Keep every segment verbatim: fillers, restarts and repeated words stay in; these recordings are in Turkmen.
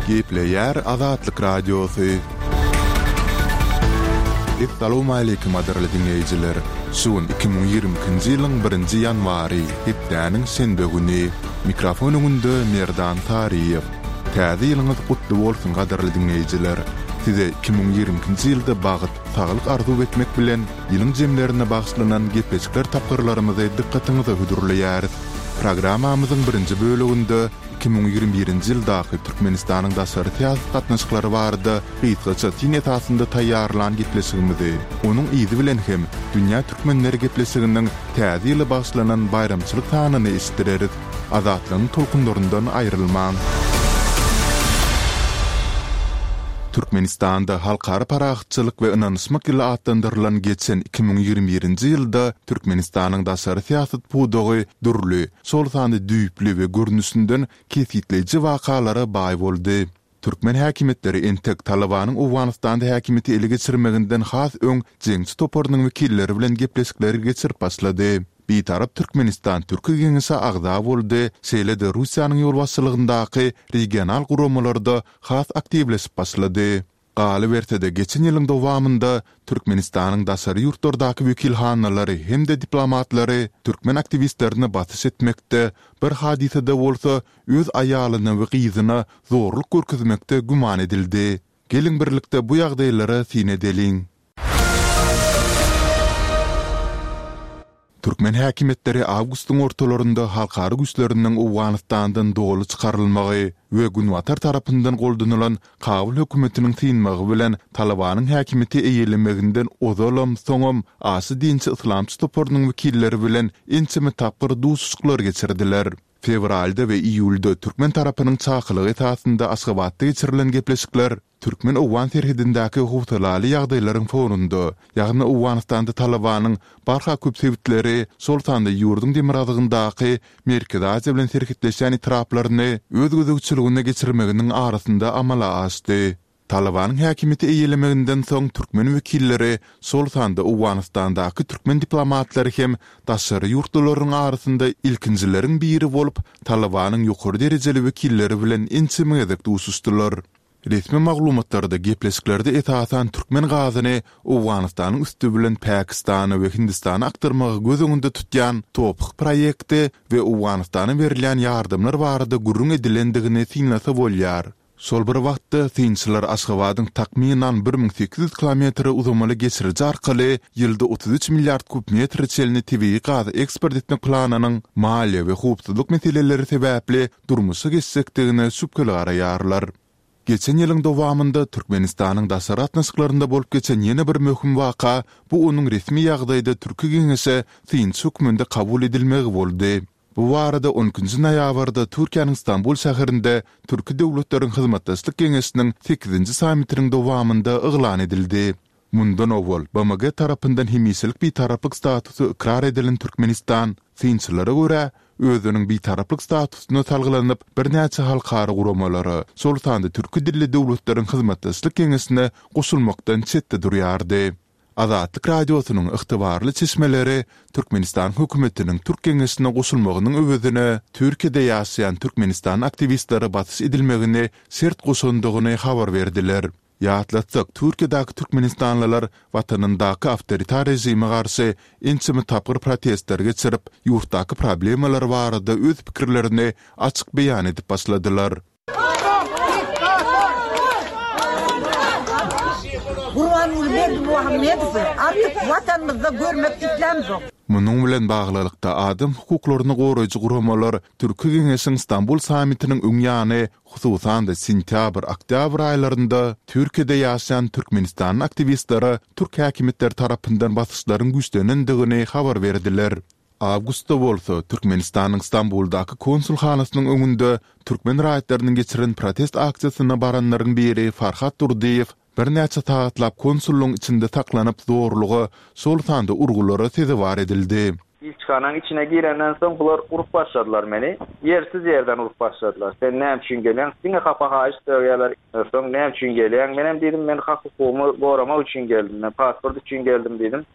Gepleýär Azatlyk Radiosy. Essalawmaleýkim gadyrly diňleýjiler! Şu gün iki müň ýigrimi ikinji ýylyň birinji ýanwary, hepdäniň şenbe güni. Mikrofon öňünde Merdan Saryýew. Täze ýylyňyz gutly bolsun gadyrly diňleýjiler! Size iki müň ýigrimi ikinji ýylda bagt, saglyk arzuw etmek bilen, ýylyň jemlerine bagyşlanan gepleşikler tapgyrlarymyzy dykgatyňyza hödürleýäris. Programmamyzyň birinji böleginde iki müň ýigrimi birinji ýyldaky Türkmenistanyň daşary syýasat gatnaşyklary barada gysgaça syn esasynda taýýarlan gepleşigimizi, onuň yzy bilen hem Dünýä türkmenleri gepleşiginiň Täze ýyla bagyşlanan baýramçylyk sanyny eşitdireris. Azatlygyň tolkunlaryndan aýrylmaň! Türkmenistanda Halkara parahatçylyk we ynanyşmak ýyly atlandyrylan geçen iki müň ýigrimi birinji ýylda Türkmenistanyň daşary syýasat pudagy dürli, şol sanda düýpli we görnüşinden kesgitleýji wakalara baý boldy. Türkmen häkimiýetleri entek Talybanyň Owganystanda häkimiýeti ele geçirmeginden has öň jeňçi toparynyň wekilleri bilen gepleşikleri geçirip başlady. Bitarap Türkmenistan Türki Geňeşe agza boldy, şeýle-de Russiýanyň ýolbaşçylygyndaky regional guramalarda has aktiwleşip başlady. Galyberse-de, geçen ýylyň dowamynda Türkmenistanyň daşary ýurtlardaky wekilhanalary hem-de diplomatlary türkmen aktiwistlerine basyş etmekde, bir hadysada bolsa öz aýalyna we gyzyna zorluk görkezmekde güman edildi. Geliň birlikde bu ýagdaýlara syn edeliň. Türkmen häkimiýetleri awgustyň ortalarynda halkara güýçleriniň Owganystandan doly çykarylmagy we Günbatar tarapyndan goldanylan Kabul hökümetiniň synmagy bilen Talybanyň häkimiýeti eýelemeginden ozalam, soňam aşa dinçi yslamçy toparynyň wekilleri bilen ençeme tapgyr duşuşyklar geçirdiler. Fewralda we iýulda türkmen tarapynyň çakylygy esasynda Aşgabatda geçirilen gepleşikler Türkmen-owgan serhedindäki howsalaly ýagdaýlaryň fonunda, ýagny Owganystanda Talybanyň barha köp sebitleri, şol sanda ýurduň demirgazygyndaky Merkezi Aziýa bilen serhetleşýän etraplaryny öz gözegçiligine geçirmeginiň arasynda amala aşdy. Talybanyň häkimiýeti eýelemeginden soň türkmen wekilleri, şol sanda Owganystandaky türkmen diplomatlary hem daşary ýurtlularyň arasynda ilkinjileriň biri bolup, Talybanyň ýokary derejeli wekilleri bilen ençeme gezek duşuşdylar. Resmi maglumatlarda gepleşiklerde esasan türkmen gazyny Owganystanyň üsti bilen Pakistana we Hindistana akdyrmagy göz öňünde tutýan Toph proýekti we Owganystana berilýän ýardamlar barada gürrüň edilendigini synlasa bolýar. Şol bir wagtda, synçylar Aşgabadyň takmynan bir müň sekiz ýüz kilometre uzamaly geçiriji arkaly ýylda otuz üç milliard kub metre çenli tebigy gazy eksport etmek planynyň maliýe we howpsuzlyk meseleleri sebäpli durmuşa geçjekdigine şübheli garaýarlar. Geçen ýylyň dowamynda Türkmenistanyň daşary gatnaşyklarynda bolup geçen ýene bir möhüm waka bu onuň resmi ýagdaýda Türki Geňeşe synçy hökmünde kabul edilmegi boldy. Bu barada on ikinji noýabrda Türkiýäniň Stambul şäherinde Türki döwletleriň hyzmatdaşlyk geňeşiniň sekizinji sammitiniň dowamynda yglan edildi. Mundan owal, B M G tarapyndan hemişelik bitaraplyk statusy ykrar edilen Türkmenistan, synçylara görä, özüniň bitaraplyk statusyna salgylanyp, birnäçe halkara guramalara, şol sanda Türki dilli döwletleriň hyzmatdaşlyk geňeşine goşulmakdan çetde durýardy. Azatlyk Radiosynyň ygtybarly çeşmeleri Türkmenistanyň hökümetiniň Türk geňeşine goşulmagynyň öwezine Türkiýede ýaşaýan türkmenistanly aktiwistlere basyş edilmegini şert goşandygyny habar berdiler. Ýatlatsak, Türkiýedäki türkmenistanlylar watanyndaky awtoritar režime garşy ençeme tapgyr protestler geçirip, ýurtdaky problemalar barada öz pikirlerini açyk beýan edip başladylar. Gurbanguly Berdimuhamedowy artyk Watanymyzda görmek islämzok. Munuň bilen baglylykda, adam hukuklaryny goraýjy guramalar Türki Geňeşiň Stambul sammitiniň öň ýany, hususan-da sentýabr, oktýabr aýlarynda Türkiýede ýaşaýan türkmenistanly aktiwistlere türk häkimiýetleri tarapyndan basyşlaryň güýçlenendigini habar berdiler. Awgustda bolsa, Türkmenistanyň Stambuldaky konsulhanasynyň öňünde türkmen raýatlarynyň geçiren protest aksiýasyna baranlaryň biri Farhat Durdyýew birnäçe sagatlap konsullygyň içinde saklanyp zorluga, şol sanda urgulara sezewar edildi. Ilçihanaň içine girenden soň bular urup başladylar meni. Ýersiz ýerden urup başladylar. Sen näme üçin gelýäň? Diňe hapa haýyş sögýärler. Soň näme üçin gelýäň? Menem diýdim, men hak-hukugymy goramak üçin geldim. Men pasport üçin geldim diýdim.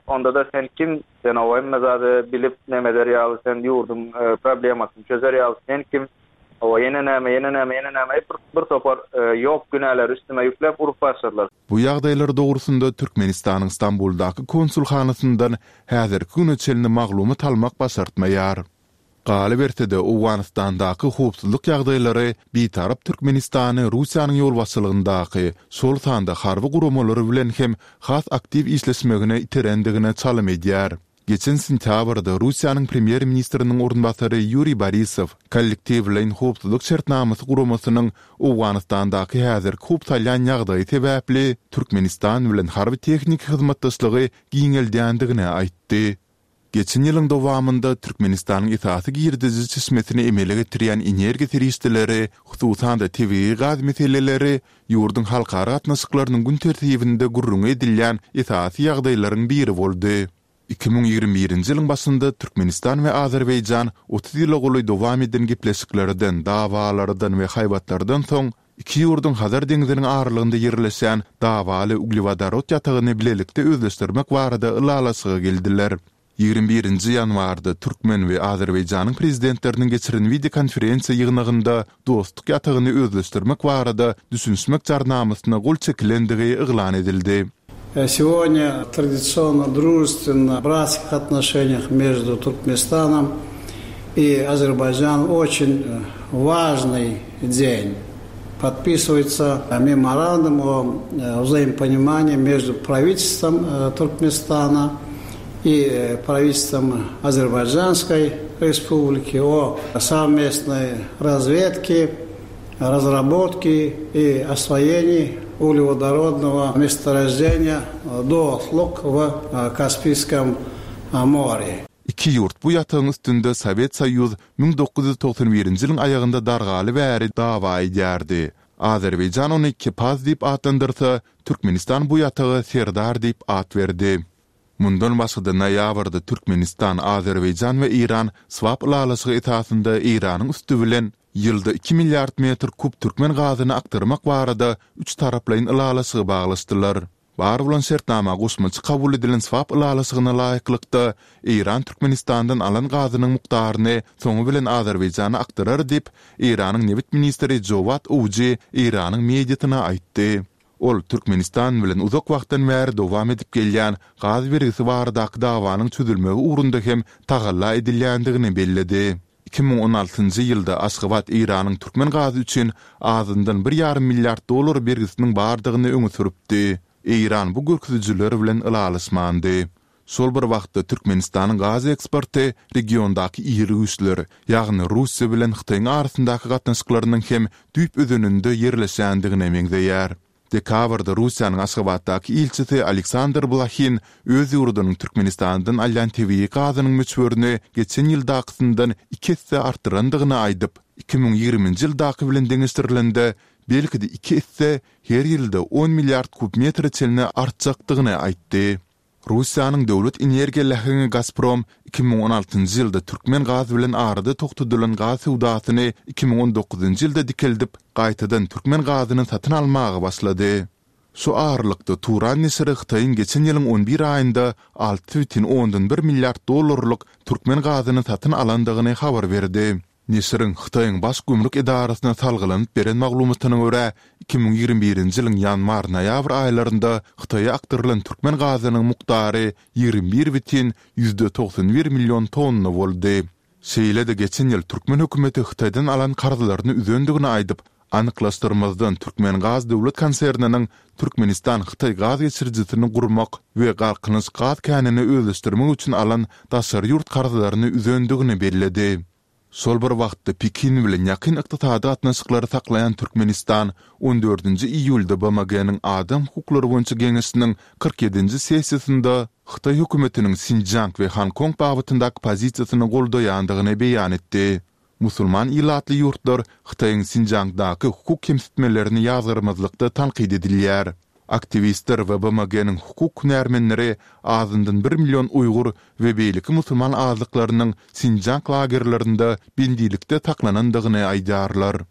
Onda-da sen kim? Sen o hemme zady bilip neme eder ýaly, sen ýurduň problemasyny çözer ýaly sen kim? Hawa, ýene näme, ýene näme, ýene näme, bir, bir topar ýok günäleri üstüme ýükläp urup başladylar. Bu ýagdaýlar dogrusynda Türkmenistanyň Stambuldaky konsulhanasyndan häzirki güne çenli maglumat almak başartmaýar. Galyberse-de, Owganystandaky howpsuzlyk ýagdaýlary Bitarap Türkmenistany Russiýanyň ýolbaşçylygyndaky, şol sanda harby guramalary bilen hem has aktiw işleşmegine iterendigine çalym edýär. Geçen sentýabrda Russiýanyň premýer-ministriniň orunbasary Ýuriý Borisow Kollektiwleýin howpsuzlyk şertnamasy guramasynyň Owganystandaky häzirki howp salýan ýagdaýy sebäpli Türkmenistan bilen harby-tehniki hyzmatdaşlygy giňeldýändigini aýtdy. Geçen ýylyň dowamynda Türkmenistanyň esasy girdeji çeşmesini emele getirýän energiýa serişdeleri, hususan-da tebigy gaz meseleleri ýurduň halkara gatnaşyklarynyň gün tertibinde gürrüňi edilýän esasy ýagdaýlaryň biri boldy. Iki müň ýigrimi birinji ýylyň başynda Türkmenistan we Azerbaýjan otuz ýyla golaý dowam eden gepleşiklerden, dawalardan we haýbatlardan soň iki ýurduň Hazar deňziniň aralygynda ýerleşýän dawaly uglewodorod ýatagyny bilelikde özleşdirmek barada ylalaşyga geldiler. Ýigrimi birinji ýanwarda türkmen we Azerbaýjanyň prezidentleriniň geçiren wideokonferensiýa ýygnagynda Dostluk ýatagyny özleşdirmek barada düşünişmek jarnamasyna gol çekilendigi yglan edildi. Сегодня традиционно дружественно братских отношениях между Туркменистаном и Азербайджаном очень важный день. Подписывается меморандум о взаимопонимании между правительством Туркменистана и правительством Азербайджанской Республики о совместной разведке, разработке и освоении углеводородного месторождения Достлук в Каспийском море. Iki ýurt bu ýatagyň üstünde Sowet Soýuz müň dokuz ýüz togsan birinji ýylyň aýagynda dargaly bäri dawa edýärdi. Azerbaýjan ony Kepaz diýip atlandyrsa, Türkmenistan bu ýataga Serdar diýip at berdi. Mundan başga-da noýabrda Türkmenistan, Azerbaýjan we Eýran swap ylalaşygy esasynda Eýranyň üsti bilen ýylda iki milliard metr kub türkmen gazyny akdyrmak barada üç taraplaýyn ylalaşygy baglaşdylar. Bar bolan şertnama goşmaça kabul edilen swap ylalaşygyna laýyklykda Eýran Türkmenistandan alan gazynyň mukdaryny soňy bilen Azerbaýjana akdyrar diýip, Eýranyň nebit ministri Jowat Owji Eýranyň mediasyna aýtdy. Ol Türkmenistan bilen uzak wagtdan bäri dowam edip gelýän gaz bergisi baradaky dawanyň çözülmegi ugrunda hem tagalla edilýändigini belledi. Iki müň on altynjy ýylda Aşgabat Eýranyň türkmen gazy üçin azyndan bir ýarym milliard dollar bergisiniň bardygyny öňe sürüpdi. Eýran bu görkezijiler bilen ylalaşmandy. Şol bir wagtda Türkmenistanyň gaz eksporty regiondaky iri güýçler, ýagny Russiýa bilen Hytaýyň arasyndaky gatnaşyklarynyň hem düýp özeninde ýerleşendigine meňzeýär. Dekabrda Russiýanyň Aşgabatdaky ilçisi Aleksandr Blahin öz ýurdunyň Türkmenistandan alýan tebigy gazynyň möçberini geçen ýyldakysyndan iki esse artdyrandygyny aýdyp, iki müň ýigriminji ýyldaky bilen deňeşdirilende belki-de iki esse her ýylda on milliard kub metre çenli artjakdygyny aýtdy. Russiýanyň döwlet energiýa läheňi Gazprom iki müň on altynjy ýylda türkmen gaz bilen arada togtadylan gaz söwdasyny iki müň on dokuzynjy ýylda dikeldip, gaýtadan türkmen gazyny satyn almaga başlady. Şu aralykda Turan neşiri Hytaýyň geçen ýylyň on bir aýynda alty bütin ondan bir milliard dollarlyk türkmen gazyny satyn alandygyny habar berdi. Neşiriň Hytaýyň baş gümrük edarasyna salgylanyp beren maglumatyna görä, iki müň ýigrimi birinji ýylyň ýanwar-noýabr aýlarynda Hytaýa akdyrylan türkmen gazynyň mukdary ýigrimi bir bütin ýüzde togsan bir million tonna boldy. Şeýle-de geçen ýyl türkmen hökümeti Hytaýdan alan karzlaryny üzendigini aýdyp, anyklaşdyrmazdan Türkmen gaz döwlet konserniniň Türkmenistan Hytaý gaz geçirijisini gurmak we Galkynyş gaz känini özleşdirmek üçin alan daşary ýurt karzlaryny üzendigini belledi. Şol bir wagtda Pekin bilen ýakyn ykdysady gatnaşyklary saklaýan Türkmenistan on dördünji iýulda B M G-niň Adam hukuklary boýunça geňeşiniň kyrk ýedinji sessiýasynda Hytaý hökümetiniň Sinjiang we Hong Kong babatyndaky pozisiýasyny goldaýandygyny beýan etdi. Musulman ilatly ýurtlar Hytaýyň Sinjiangdaky hukuk kemsitmelerini ýazgarmazlykda tankyt edilýär. Aktiwistler we B M G-niň hukuk hünärmenleri azyndan bir million uýgur we beýleki musulman azlyklarynyň Sinjiang lagerlerinde bendilikde saklanandygyny aýdýarlar.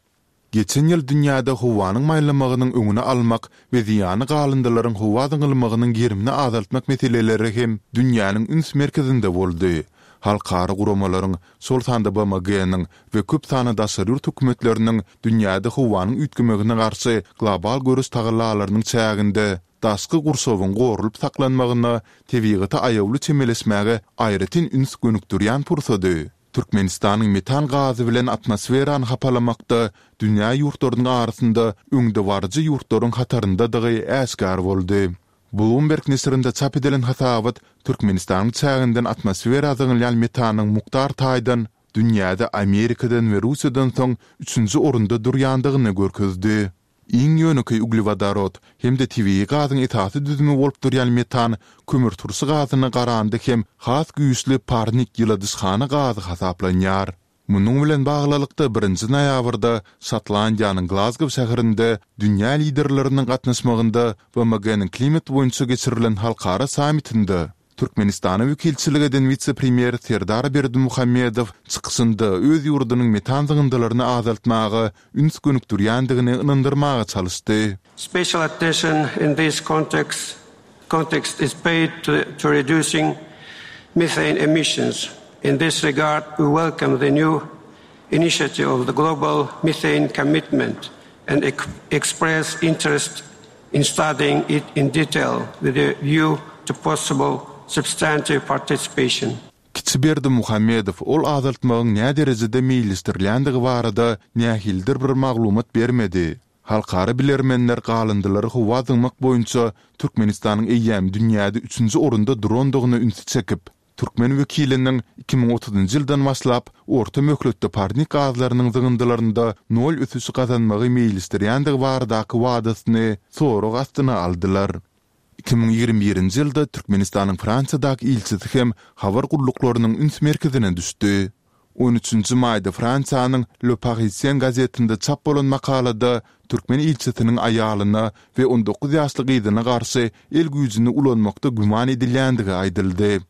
Geçen ýyl dünýäde howanyň maýlamagynyň öňüni almak we zyýanly galyndylaryň howa zyňylmagynyň gerimini azaltmak meseleleri hem dünýäniň üns merkezinde boldy. Halkara guramalaryň, şol sanda BMG-niň we köp sanly daşary ýurt hökümetleriniň dünýäde howanyň üýtgemegine garşy global göreş tagallalarynyň çäginde daşky gurşawyň goralyp saklanmagyna, tebigata aýawly çemeleşmäge aýratyn üns gönükdirýän pursady Türkmenistanyň metan gazy bilen atmosferany hapalamakda dünýä ýurtlarynyň arasynda öňdebaryjy ýurtlaryň hataryndadygy äşgär boldy. Bloomberg neşirinde çap edilen hasabat Türkmenistanyň çäginden atmosfera zyňylýan metanyň mukdar taýdan dünýäde Amerikadan we Russiýadan soň üçünji orunda durýandygyny görkezdi. Iň ýönekeý uglewodorod hem-de tebigy gazyň esasy düzümi bolup durýan metan kömürturşy gazyna garanda hem has güýçli parnik ýyladyşhana gazy hasaplanýar. Munuň bilen baglylykda, birinji noýabrda Şotlandiýanyň Glazgow şäherinde dünýä liderleriniň gatnaşmagynda BMG-niň klimat boýunça geçirilen halkara sammitinde Türkmenistana wekilçilik eden wise-premýer Serdar Berdimuhamedow çykyşynda öz ýurdunyň metan zyňyndylaryny azaltmaga üns gönükdirýändigini ynandyrmaga çalyşdy. Special attention in this context context is paid to to reducing methane emissions. In this regard, we welcome the new initiative of the Global Methane Commitment and express interest in studying it in detail with a view to possible substantive participation. Kiçi Berdimuhamedow ol azaltmagyň näderejede meýilleşdirilýändigi barada nähilidir bir maglumat bermedi. Halkara bilermenler galyndylary howa zyňmak boýunça Türkmenistanyň eýýäm dünýäde üçünji orunda durandygyna ünsi çekip, türkmen wekiliniň iki müň otuzynjy ýyldan başlap orta möhletde parnik gazlarynyň zyňyndylarynda nol ösüşi gazanmagy meýilleşdirýändigi baradaky wadasyny sorag astyna aldylar. Iki müň ýigrimi birinji ýylda Türkmenistanyň Fransiýadaky ilçisi hem habar gulluklarynyň üns merkezine düşdi. On üçünji maýda Fransiýanyň Le Parisien gazetinde çap bolan makalada türkmen ilçisiniň aýalyna we on dokuz ýaşly gyzyna garşy el güýjüni ulanmakda güman edilýändigi aýdyldy.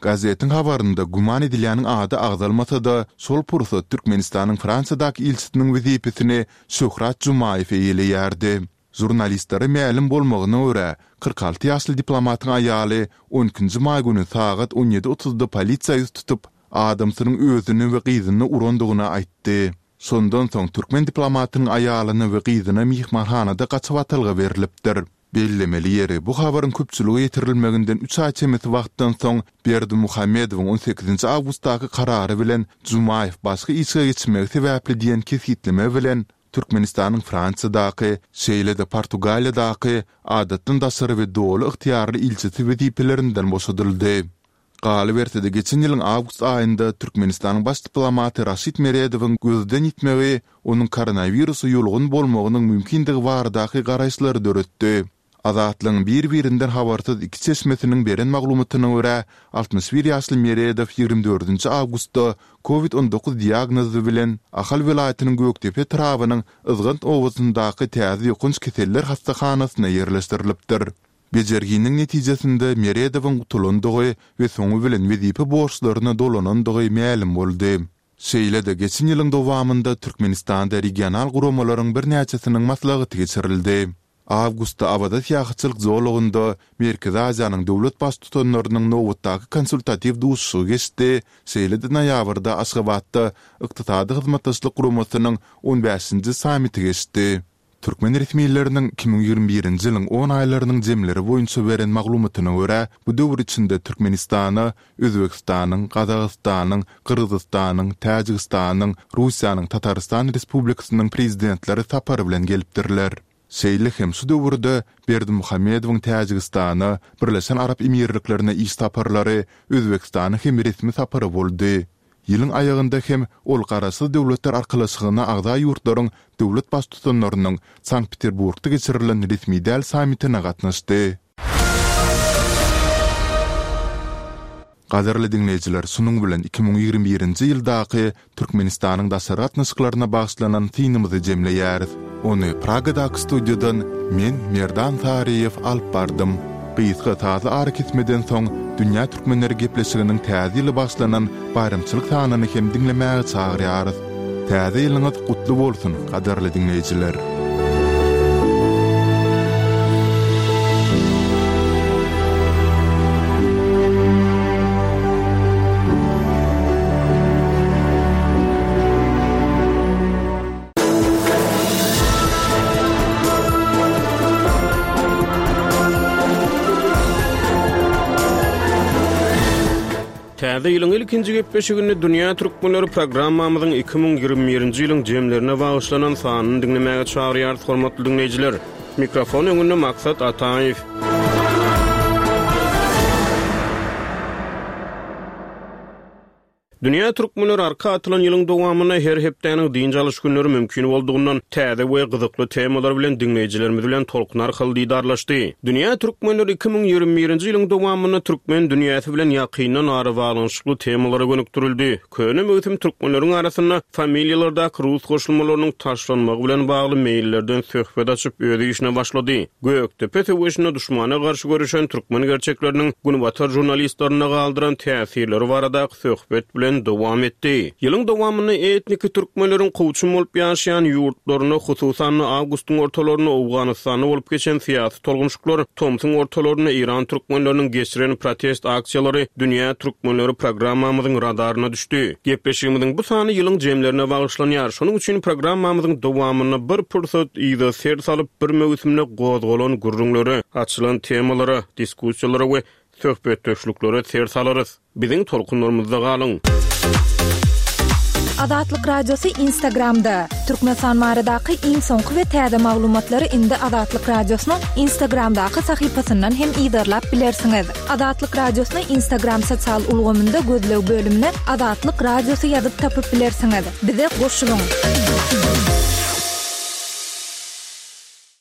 Gazetiň habarynda güman edilýäniň ady agzalmasa-da, şol pursat Türkmenistanyň Fransiýadaky ilçisiniň wezipesini Şöhrat Jumaýew eýeleýärdi. Žurnalistlere mälim bolmagyna görä, kyrk alty ýaşly diplomatyň aýaly on ikinji maý güni sagat on ýedi otuzda polisiýa ýüz tutup, adamsynyň özüni we gyzyny urandygyny aýtdy. Şondan soň türkmen diplomatynyň aýalyna we gyzyna myhmanhanada gaçybatalga berlipdir. Bellemeli ýeri, bu habaryň köpçülige ýetirilmeginden üç aý çemesi wagtdan soň Berdimuhamedowyň on sekizinji awgustdaky karary bilen Jumaýew başga işe geçmegi sebäpli diýen kesgitleme bilen Türkmenistanyň Fransiýadaky, şeýle-de Portugaliýadaky Adatdan daşary we Doly ygtyýarly ilçisi wezipelerinden boşadyldy. Galyberse-de, geçen ýylyň awgust aýynda Türkmenistanyň baş diplomaty Raşid Meredowyň gözden ýitmegi onuň koronawirusa ýolugan bolmagynyň mümkindigi baradaky garaýyşlary döretdi. Azatlygyň bir-birinden habarsyz iki çeşmesiniň beren maglumatyna görä, altmyş bir ýaşly Meredow ýigrimi dördünji awgustda Covid on dokuz diagnozy bilen Ahal welaýatynyň Gökdepe etrabynyň Yzgant obasyndaky täze ýokanç keseller hassahanasyna ýerleşdirilipdir. Bejerginiň netijesinde Meredowyň gutulandygy we soňy bilen wezipe borçlaryna dolanandygy mälim boldy. Şeýle-de geçen ýylyň dowamynda Türkmenistanda regional guramalaryň birnäçesiniň maslahaty geçirildi. Awgustda Awaza syýahatçylyk zolagynda Merkezi Aziýanyň döwlet Baştutanlarynyň nobatdaky konsultatiw duşuşygy geçdi, şeýle-de noýabrda Aşgabatda Ykdysady Hyzmatdaşlyk Guramasynyň on bäşinji sammiti geçdi. Türkmen resmileriniň iki müň ýigrimi birinji ýylyň on aýlarynyň jemleri boýunça beren maglumatyna görä, bu döwür içinde Türkmenistana Özbegistanyň, Gazagystanyň, Gyrgyzystanyň, Täjigistanyň, Russiýanyň Tatarystan Respublikasynyň Prezidentleri sapar bilen gelipdirler. Şeýle hem şu döwürde Berdimuhamedowyň Täjigistana, Birleşen Arap Emirliklerine iş saparlary, Özbegistana hem resmi sapary boldy. Ýylyň aýagynda hem ol Garaşsyz Döwletler Arkalaşygyna agza ýurtlaryň döwlet Baştutanlarynyň Sankt-Peterburgda geçirilen resmi däl sammitine gatnaşdy. Gadyrly diňleýjiler, şunuň bilen iki müň ýigrimi birinji ýyldaky Türkmenistanyň daşary gatnaşyklaryna bagyşlanan synymyzy jemleýäris. Ony Pragadaky studiýadan men, Merdan Saryýew alyp bardym. Gysga sazly arakesmeden soň, Dünýä türkmenleri gepleşiginiň Täze ýyla bagyşlanan baýramçylyk sanyny hem diňlemäge çagyrýarys. Täze ýylyňyz gutly bolsun, gadyrly diňleýjiler! Täze ýylyň ilkinji gepleşiginde Dünýä Türkmenleri programmamyzyň iki müň ýigrimi birinji ýylyň jemlerine bagyşlanan sanyny diňlemäge çagyrýarys, hormatly diňleýjiler. Mikrofon öňünde Maksat Ataýew. Dünýä Türkmenleri arka atylan ýylyň dowamynda her hepdäniň dynç alyş günleri mümkin boldugyndan täze we gyzykly temalar bilen diňleýjilerimiz bilen tolkun arkaly didarlaşdy. Dünýä Türkmenleri iki müň ýigrimi birinji ýylyň dowamynda türkmen dünýäsi bilen ýakyndan arabaglanyşykly temalara gönükdirildi. Köne möwsüm türkmenleriň arasynda familiýalardaky rus goşulmalarynyň taşlanmagy bilen bagly meýillerden söhbet açyp öz işine başlady. Gökdepe söweşinde duşmana garşy görüşen türkmen gerçekleriniň Günbatar jurnalistlerine galdyran täsirleri baradaky söhbet bilen dowam etdi. Ýylyň dowamynda etniki türkmenleriň kowçum bolup ýaşaýan ýurtlarynda, hususan-da awgustyň ortalarynda Owganystanda bolup geçen syýasy tolgunşyklar, tomsuň ortalarynda Eýran türkmenleriniň geçiren protest aksiýalary Dünýä Türkmenleri programmamyzyň radaryna düşdi. Gepleşigimiziň bu sany ýylyň jemlerine bagyşlanýar. Şonuň üçin programmamyzyň dowamynda bir pursat yza ser salyp, bir möwsümde gozgalan gürrüňlere, açylan temalara, diskussiýalara we söhbetdeşliklere ser salarys. Biziň tolkunlarymyzda galyň. Azatlyk Radiosy Instagramda. Türkmenistan baradaky iň soňky we täze maglumatlary indi Azatlyk Radiosynyň Instagramdaky sahypasyndan hem yzarlap bilersiňiz. Azatlyk Radiosyny Instagram sosial ulgamynda gözleg bölümine Azatlyk Radiosy ýazyp tapyp bilersiňiz. Bize goşulyň.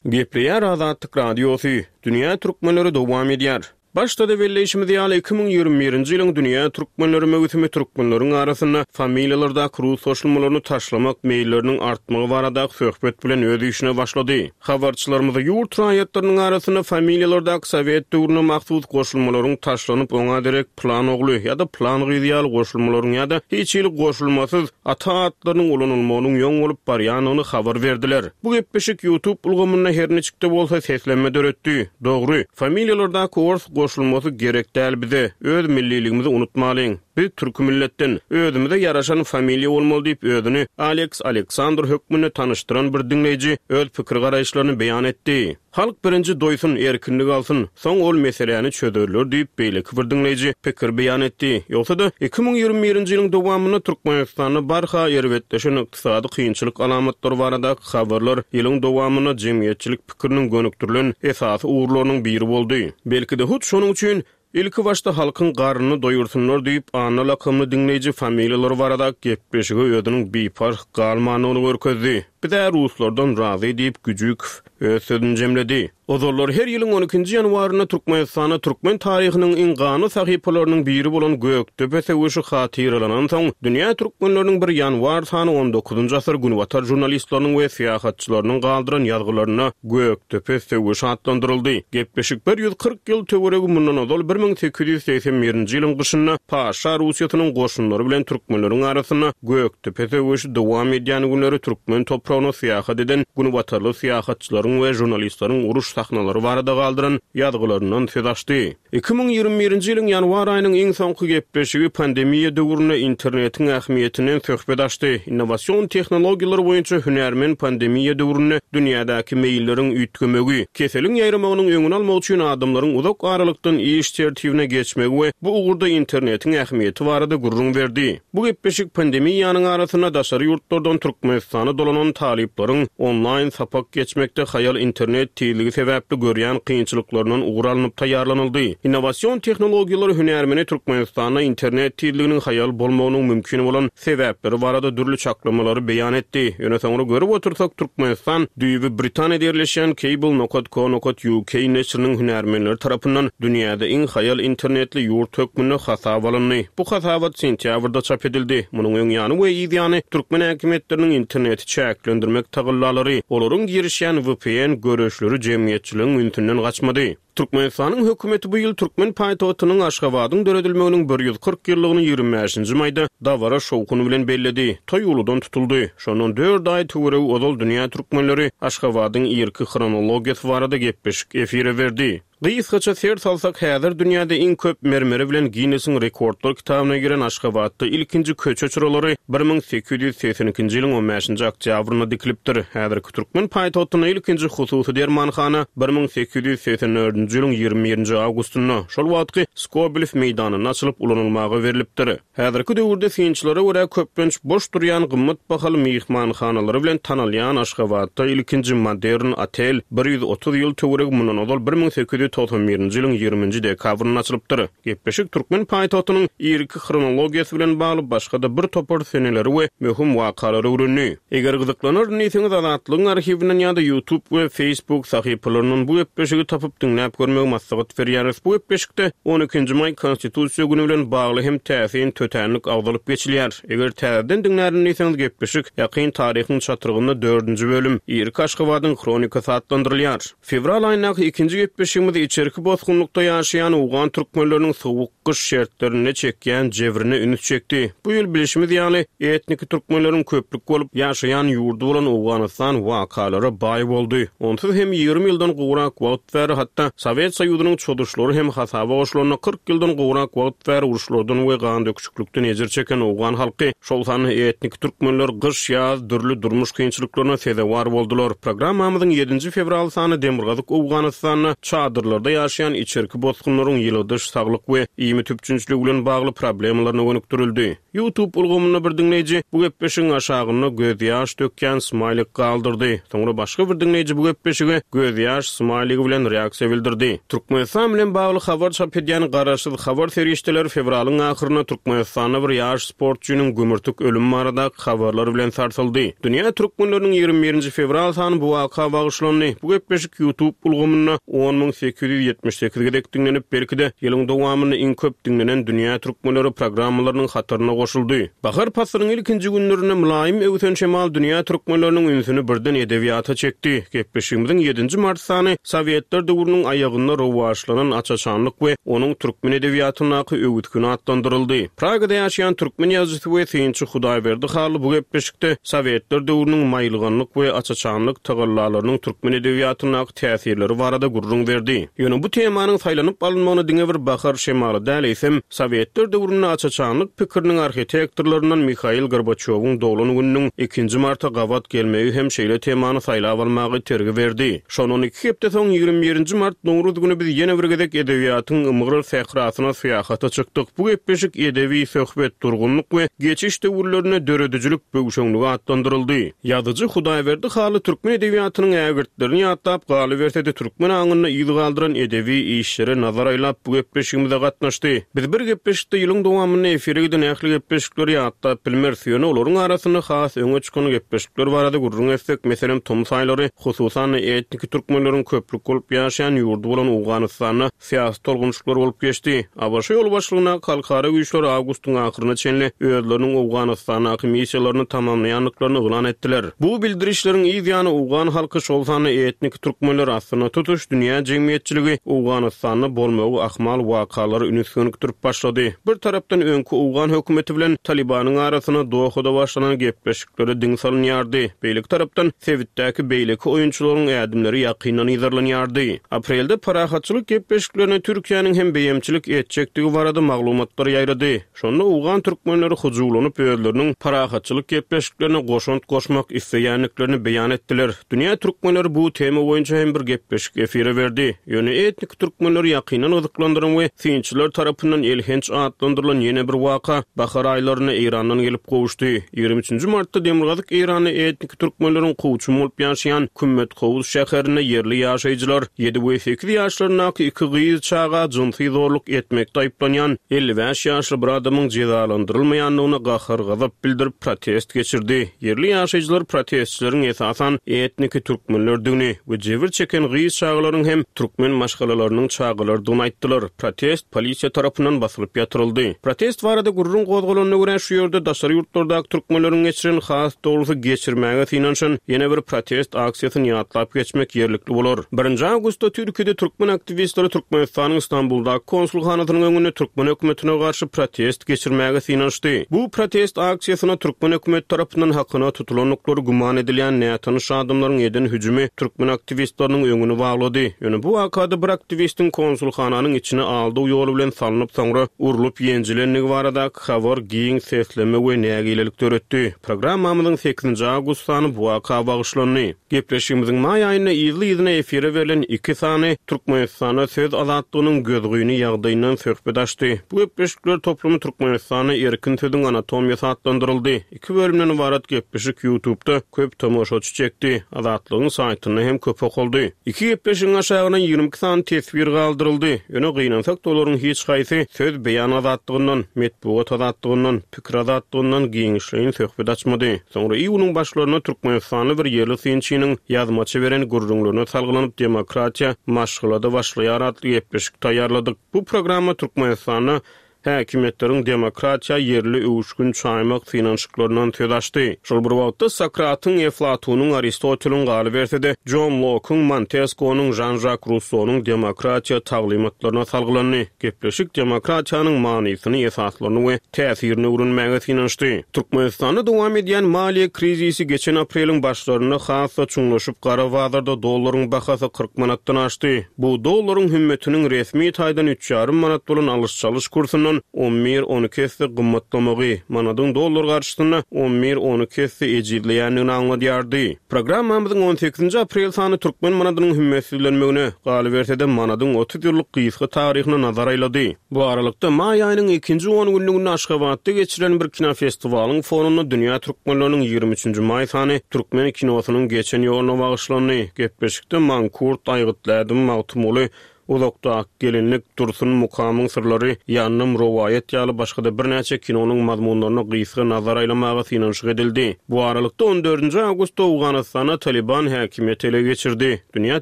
Gepleýär Azatlyk Radiosy. Dünýä Türkmenleri dowam edýär. Başda-da belleýşimiz ýaly iki müň ýigrimi birinji ýylyň Dünýä Türkmenleri möwsümi türkmenleriň arasynda familiýalardaky rus goşulmalaryny taşlamak meýilleriniň artmagy baradaky söhbet bilen öz işine başlady. Habarçylarymyzy ýurt raýatlarynyň arasynda familiýalardaky sowet döwrüne mahsus goşulmalaryň taşlanyp oňa derek plan ogly ýa-da plan gyzy ýaly goşulmalaryň ýa-da hiç hili goşulmasyz ata atlarynyň ulanylmagynyň ýoň bolup barýandygyny habar berdiler. Bu gepleşik YouTube ulgamynda her niçikde bolsa seslenme döretdi. Dogry, familiýalardaky ors goşulmasy gerek däl bize. Öz milliligimizi unutmalyň. Biz türk milletden özümize ýaraşan familiýa bolmaly diýip özüni Alex Aleksandr hökmünde tanyşdyran bir diňleýji öz pikir garaýyşlaryny beýan etdi. Halk birinji doýsun, erkinlik alsyn, soň ol meseläni çözerler diýip beýleki bir diňleýji pikir beýan etdi. Ýogsa-da iki müň ýigrimi birinji ýylyň dowamynda Türkmenistanda barha erbetleşen ykdysady kynçylyk alamatlary baradaky habarlar ýylyň dowamynda jemgyýetçilik pikiriniň gönükdirilen esasy ugurlarynyň biri boldy. Belki-de hut şonuň üçin ilki başda halkyň garnyny doýursunlar diýip Anna lakamly diňleýji familiýalary barada gepleşige özüniň biparh galmandygyny görkezdi. Bize ruslardan razy diýip Güjükow öz sözüni jemledi. Ozallar her ýylyň on ikinji ýanwarynda Türkmenistanda türkmen taryhynyň iň ganly sahypalarynyň biri bolan Gökdepe söweşi hatyralanan soň, dünýä türkmenleriniň bir ýanwar sany on dokuzynjy asyr Günbatar jurnalistleriniň we syýahatçylarynyň galdyran ýazgylarynda Gökdepe söweşi atlandyryldy. Gepleşik bir ýüz kyrk ýyl töweregi mundan ozal bir müň sekiz ýüz segsen birinji ýylyň gyşynda Paşa Russiýasynyň goşunlary bilen türkmenleriň arasynda Gökdepe söweşi dowam edýän günleri türkmen topragyna syýahat eden Günbatarly syýahatçylaryň we jurnalistleriň uruş sahnalary barada galdyran ýazgylaryndan söz açdy. Iki müň ýigrimi birinji ýylyň ýanwar aýynyň iň soňky gepleşigi pandemiýa döwründe internetiň ähmiýetinden söhbet açdy. Innowasion tehnologiýalar boýunça hünärmen pandemiýa döwründe dünýädäki meýilleriň üýtgemegi, keseliň ýaýramagynyň öňüni almak üçin adamlaryň uzak aralykdan iş tertibine geçmegi we bu ugurda internetiň ähmiýeti barada gürrüň berdi. Bu gepleşik pandemiýanyň arasynda daşary ýurtlardan Türkmenistana dolanan talyplaryň onlaýn sapak geçmekde haýal internet tizligi sebäpli görýän kynçylyklaryndan ugur alnyp taýýarlanyldy. Innowasion tehnologiýalary hünärmeni Türkmenistanda internet tizliginiň haýal bolmagynyň mümkin bolan sebäpleri barada dürli çaklamalary beýan etdi. Ýöne soňra görüp otursak Türkmenistan düýbi Britaniýada ýerleşýän Cable nokta co nokta U K neşiriniň hünärmenleri tarapyndan dünýäde iň haýal internetli ýurt hökmünde hasap alyndy. Bu hasabat sentýabrda çap edildi. Munuň öň ýany we yz ýany türkmen häkimiýetleriniň interneti çäklendirmek tagallalary, olaryň girişýän V P N görüşleri jemgyýetçiligiň ünsünden gaçmady. Türkmenistanyň hökümeti bu ýyl türkmen paýtagtynyň Aşgabadyň döredilmeginiň bir ýüz kyrk ýyllygyny ýigrimi bäşinji maýda dabara şowhuny bilen belledi. Toý uludan tutuldy. Şondan dört aý töweregi ozal dünýä türkmenleri Aşgabadyň irki hronologiýasy barada gepleşik efire berdi. Gysgaça ser salsak, häzir dünýäde iň köp mermeri bilen Ginnesiň rekordlar kitabyna giren Aşgabatda ilkinji köçe çyralary bir müň sekiz ýüz segsen ikinji ýylyň on bäşinji oktýabrynda dikilipdir. Häzirki türkmen paýtagtynda ilkinji hususy dermanhana bir müň sekiz ýüz segsen dördünji ýylyň ýigrimi birinji awgustynda, şol wagtky Skobelew meýdanynda açylyp ulanylmaga berlipdir. Häzirki döwürde synçylara görä köplenç boş durýan gymmat bahaly myhmanhanalary bilen tanalýan Aşgabatda ilkinji modern otel bir ýüz otuz ýyl töweregi mundan ozal bir müň sekiz ýüz togsan birinji ýylyň ýigriminji dekabrynda açylypdyr. Gepleşik türkmen paýtagtynyň irki hronologiýasy bilen bagly başga-da bir topar seneleri we möhüm wakalary öwrendi. Eger gyzyklanaryn diýseňiz, Azatlygyň arhiwinden ýa-da YouTube we Facebook sahypalaryndan bu gepleşigi tapyp diňläp görmegi maslahat berýäris. Bu gepleşikde on ikinji maý Konstitusiýa güni bilen bagly hem täsin tötänlik agzalyp geçilýär. Eger täzeden diňlärin diýseňiz, gepleşik ýakyn taryhyň çatrygynda dördünji bölüm Irki Aşgabadyň hronikasy atlandyrylýar. Fewral aýyndaky ikinji gepleşigimiz içerki bosgunlykda ýaşaýan owgan türkmenleriniň sowuk gyş şertlerinde çekýän jebrine üns çekdi. Bu ýyl bilşimiz ýaly etniki türkmenleriň köplük bolup ýaşaýan ýurdy bolan Owganystan wakalara baý boldy. Onsuz hem ýigrimi ýyldan gowrak wagt bäri, hatda Sowet Soýuzynyň çozuşlary hem hasaba goşulanda kyrk ýyldan gowrak wagt bäri uruşlardan we gan döküşiklikden ejir çeken owgan halky, şol sanda etniki türkmenler gyş, ýaz dürli durmuş kynçylyklaryna sezewar boldular. Programmamyzyň ýedinji fewral sany Demirgazyk Owganystanda çadyrlarda ýaşaýan içerki bosgunlaryň ýyladyş, saglyk we iýmit üpjünçiligi bilen bagly problemalaryna gönükdirildi. YouTube ulgamynda bir diňleýji bu gepleşigiň aşagynda gözýaş dökýän smaýlik galdyrdy. Soňra başga bir diňleýji bu gepleşige gözýaş smaýligi bilen reaksiýa bildirdi. Türkmenistan bilen bagly habar çap edýän garaşsyz habar serişdeleri fewralyň ahyrynda Türkmenistanda bir ýaş sportçynyň gümürtik ölüm baradaky habarlar bilen sarsyldy. Dünýä türkmenleriniň ýigrimi birinji fewral sany bu waka bagyşlandy. Bu gepleşik YouTube ulgamynda on müň sekiz ýüz ýetmiş sekiz gezek diňlenip, belki-de ýylyň dowamynda iň köp diňlenen dünýä türkmenleri programmalarynyň hataryna goşuldy. Bahar paslynyň ilkinji günlerinde mylaýym öwsen şemal dünýä türkmenleriniň ünsüni birden edebiýata çekdi. Gepleşigimiziň ýedinji mart sany Sowetler döwrüniň aýagynda rowaçlanan aç-açanlyk we onuň türkmen edebiýatyndaky öwütgini atlandyryldy. Pragada ýaşaýan türkmen ýazyjysy we synçy Hudaýberdi Hally bu gepleşikde Sowetler döwrüniň maýylganlyk we aç-açanlyk tagallalarynyň türkmen edebiýatyndaky täsirleri barada gürrüň berdi. Ýöne bu temanyň saýlanyp alynmagyny diňe bir bahar şemaly däl, eýsem Sowetler döwründe aç-açanlyk pikiriniň arhitektorlaryndan Mihail Gorbaçýowyň doglan gününiň ikinji marta gabat gelmegi hem şeýle temany saýlap almagy tergi berdi. Şondan iki hepde soň ýigrimi birinji mart Nowruz günü biz ýene bir gezek edebiýatyň ymgyr sährasyna syýahata çykdyk. Bu gepleşik edebi söhbet, durgunlyk we geçiş döwürlerinde döredijilik böwşeňligi atlandyryldy. Ýazyjy Hudaýberdi Hally türkmen edebiýatynyň ägirtlerini ýatlap galyberse-de türkmen aňynda yz galdyran edebi işlere nazar aýlap bu gepleşigimize gatnaşdy. Biz bir gepleşikde ýylyň dowamynda efire giden ähli gepleşikleri ýatlap bilmeris. Ýöne olaryň arasynda has öňe çykan gepleşikler barada gürrüň etsek, meselem tomus aýlary, hususan-da etniki türkmenleriň köplük bolup ýaşaýan ýurdy bolan Owganystanda syýasy tolgunçlyklar bolup geçdi. ABŞ ýolbaşçylygyndaky halkara güýçleri awgustyň ahyryna çenli özleriniň Owganystandaky missiýalaryny tamamlaýandyklaryny yglan etdiler. Bu bildirişleriň yz ýany owgan halky, şol sanda etniki türkmenler, aslynda tutuş dünýä jemgyýetçiligi Owganystanda bolmagy ahmal wakalary üns gönükdirip başlady. Bir tarapdan öňki owgan hökümeti bilen Talibanyň arasynda Dohada başlanan gepleşiklere diň salynýardy. Beýleki tarapdan sebitdäki beýleki oýunçylaryň ädimleri ýakyndan yzarlanýardy. Aprelde parahatçylyk gepleşiklerine Türkiýäniň hem beýemçilik etjekdigi barada maglumatlar ýaýrady. Şonda owgan türkmenleri hujuwlanyp özleriniň parahatçylyk gepleşiklerine goşant goşmak isleýändiklerini beýan etdiler. Dünýä türkmenleri bu tema boýunça hem bir gepleşik efire berdi. Ýöne etnik türkmenleri ýakyndan gyzyklandyran we synçylar tarapyndan elhenç atlandyrylan ýene bir waka bahar aýlarynda Eýrandan gelip gowuşdy. Ýigrimi üçünji martda Demirgazyk Eýranda etnik türkmenleriň kowçum bolup ýaşaýan Kümmet Kowuz şäherinde ýerli ýaşaýjylar ýedi we sekiz ýaşlaryndaky iki gyz çaga jynsy zorluk etmekde aýyplanýan elli bäş ýaşly bir adamyň jezalandyrylmaýandygyna gahar-gazap bildirip protest geçirdi. Ýerli ýaşaýjylar protestçileriň esasan etniki türkmenlerdigini we jebir çeken gyz çagalaryň hem türkmen maşgalalarynyň çagalardygyny aýtdylar. Protest polisiýa tarapyndan basylyp ýatyryldy. Protest barada gürrüň gozgalanyna görä şu ýerde daşary ýurtlardaky türkmenleriň geçiren, has dogrusy geçirmäge synanyşan ýene bir protest aksiýasyny ýatlap geçmek ýerlikli bolar. Birinji awgustda Türkiýede türkmen aktiwistleri Türkmenistanyň Stambuldaky konsulhanasynyň öňünde türkmen hökümetine garşy protest geçirmäge synanyşdy. Bu protest aksiýasyna türkmen hökümeti tarapyndan hakyna tutulandyklary güman edilýän nätanyş adamlaryň eden hüjümi türkmen aktiwistleriniň öňüni baglady. Ýöne bu wakada bir aktiwistiň konsulhananyň içine aldaw ýoly bilen salnyp, soňra urlup ýenjilendigi baradaky habar giň sesleme we nägilelik döretdi. Programmamyzyň sekizinji awgust sany bu waka bagyşlandy. Gepleşigimiziň maý aýynda yzly-yzyna efire berlen iki sany Türkmenistanda söz azatlygynyň gözgyny ýagdaýyndan söhbet açdy. Bu gepleşikler toplumy Türkmenistanda erkin sözüň anatomiýasy atlandyryldy. Iki bölümden ybarat gepleşik YouTube'da köp tomaşaçy çekdi. Azatlygyň saýtynda hem köp okaldy. Iki gepleşigiň aşagyna ýigrimi iki sany teswir galdyryldy. Ýöne gynansak da olaryň hiç haýsy söz beýan azatlygyndan, metbugat azatlygyndan, pikir azatlygyndan giňişleýin söhbet açmady. Soňra iýunyň başlarynda Türkmenistanly bir ýerli synçynyň ýazmaça beren gürrüňlerine salgylanyp demokratiýa maşgalada başlaýar atly gepleşik taýýarladyk. Bu programma Türkmenistanda häkimiýetleriň demokratiýa ýerli öwüşgin çaýmak synanyşyklaryndan söz açdy. Şol bir wagtda Sokratyň, Eflatunyň, Aristoteliň galyberse-de John Locke'uň, Montesquieu'nyň, Jean-Jacques Rousseau'nyň demokratiýa taglymatlaryna salgylandy. Gepleşik demokratiýanyň manysyny, esaslaryny we täsirini öwrenmäge synanyşdy. Türkmenistanda dowam edýän maliýe krizisi geçen apreliň başlarynda has-da çuňlaşyp gara bazarda dollaryň bahasy kyrk manatdan aşdy. Bu dollaryň hümmetiniň resmi taýdan üç ýarym manat bolan alyş-çalyş kursundan on bir on iki esse gymmatlamagy, manadyň dollar garşysynda on bir on iki esse ejizleýändigini aňladýardy. Programmamyzyň on sekizinji aprel sany türkmen manadynyň hümmetsizlenmegine, galyberse-de manadyň otuz ýyllyk gysga taryhyna nazar aýlady. Bu aralykda maý aýynyň ikinji on günlüginde Aşgabatda geçirilen bir kinofestiwalyň fonunda dünýä türkmenleriniň ýigrimi üçünji maý sany türkmen kinosynyň geçen ýoluna bagyşlandy. Gepleşikde Mankurt, Aýgytlädim, Magtymguly, Uzakda gelinlik, Dursun Mukamyň syrlary, Ýandym rowaýat ýaly başga-da birnäçe kinonyň mazmunlaryna gysga nazar aýlamaga synanyşyk edildi. Bu aralykda on dördünji awgustda Owganystana Taliban häkimiýeti ele geçirdi. Dünýä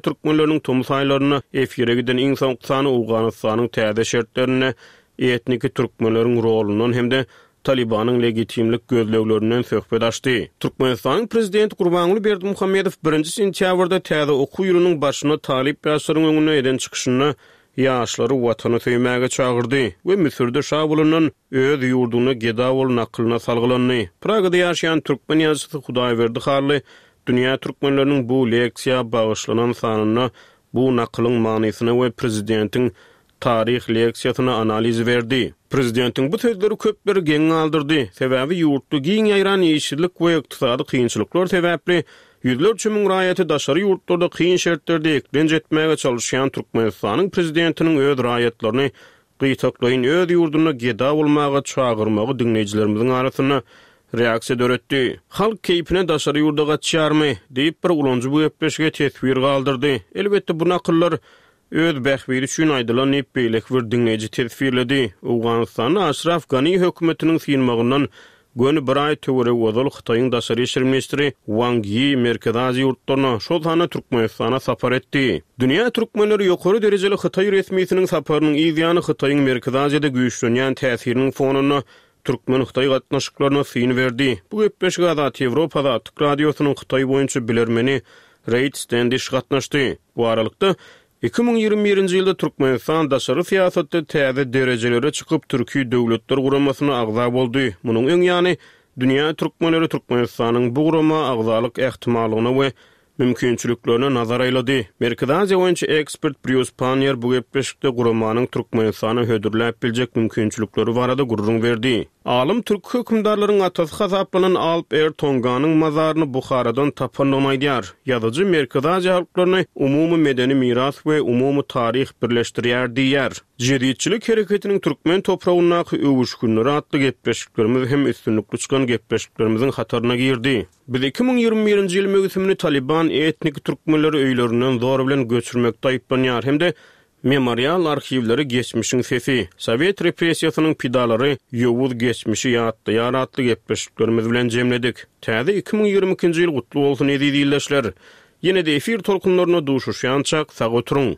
türkmenleriniň tomus aýlarynda efire giden iň soňky sany Owganystanyň täze şertlerinde etniki türkmenleriň rolundan hem-de Talibanyň legitimlik gözleglerinden söhbet açdy. Türkmenistanyň prezidenti Gurbanguly Berdimuhamedow birinji sentýabrda täze okuw ýylynyň başyna talyp ýaşlaryň öňünde eden çykyşynda ýaşlary watany söýmäge çagyrdy we Müsürde şa bolandan öz ýurduna geda bol nakylyna salgylandy. Pragada ýaşaýan türkmen ýazyjysy Hudaýberdi Hally dünýä türkmenleriniň bu leksiýa bagyşlanan sanynda bu nakylyň manysyna we prezidentiň taryh leksiýasyna analiz berdi. Prezidentiň bu sözleri köpleri geň galdyrdy. Sebäbi ýurtda giň ýaýran işsizlik we ykdysady kynçylyklar sebäpli ýüzlerçe müň raýaty daşary ýurtlarda kyn şertlerde eklenç etmäge çalışýan Türkmenistanyň prezidentiniň öz raýatlaryny gytaklaýyn öz ýurdunda geda bolmaga çagyrmagy diňleýjilerimiziň arasynda reaksiýa döretdi. Halk keýpine daşary ýurda gaçýarmy diýip bir ulanyjy bu gepleşige teswir galdyrdy. Elbetde bu nakyllar öz bähbidi üçin aýdylan diýip beýleki bir diňleýji teswirledi. Owganystanda Aşraf Gani hökümetiniň synmagyndan göni bir aý töweregi ozal Hytaýyň daşary işler ministri Wang Yi Merkezi Aziýa ýurtlaryna, şol sanda Türkmenistana sapar etdi. Dünýä türkmenleri ýokary derejeli Hytaý resmisiniň saparynyň yz ýany Hytaýyň Merkezi Aziýada güýçlenýän täsiriniň fonunda Türkmen-Hytaý gatnaşyklaryna syn berdi. Bu gepleşige Azat Ýewropa Azatlyk Radiosynyň Hytaý boýunça bilermeni Reid Standish gatnaşdy. Bu aralykda iki müň ýigrimi birinji ýylda Türkmenistan daşary syýasatda täze derejelere çykyp Türki Döwletler Guramasyna agza boldy. Munuň öň ýany dünýä türkmenleri Türkmenistanyň bu gurama agzalyk ähtimallygyna we mümkinçiliklerine nazar aýlady. Merkezi Aziýa boýunça ekspert Brýus Pannier bu gepleşikde guramanyň Türkmenistana hödürläp biljek mümkinçilikleri barada gürrüň berdi. Alym türk hökümdarlaryň atasy hasaplanan Alp Er Tonganyň mazaryny Buharadan tapandygyny aýdýar. Ýazyjy Merkezi Aziýa halklaryny umumy medeni miras we umumy taryh birleşdirýär diýýär. Jeditçilik hereketiniň türkmen topragyndaky öwüşgünleri atly gepleşiklerimiz hem üstünlikli çykan gepleşiklerimiziň hataryna girdi. Biz iki müň ýigrimi birinji ýyl möwsümini Taliban etnik türkmenleri öýlerinden zor bilen göçürmekde aýyplanýar hem-de memorial arhiwleri geçmişiň sesi, Sowet repressiýasynyň pidalary ýowuz geçmişi ýatlaýar atly gepleşiklerimiz bilen jemledik. Täze iki müň ýigrimi ikinji ýyl gutly bolsun eziz ildeşler. Ýene-de efir tolkunlaryna duşuşýançak sag oturyň.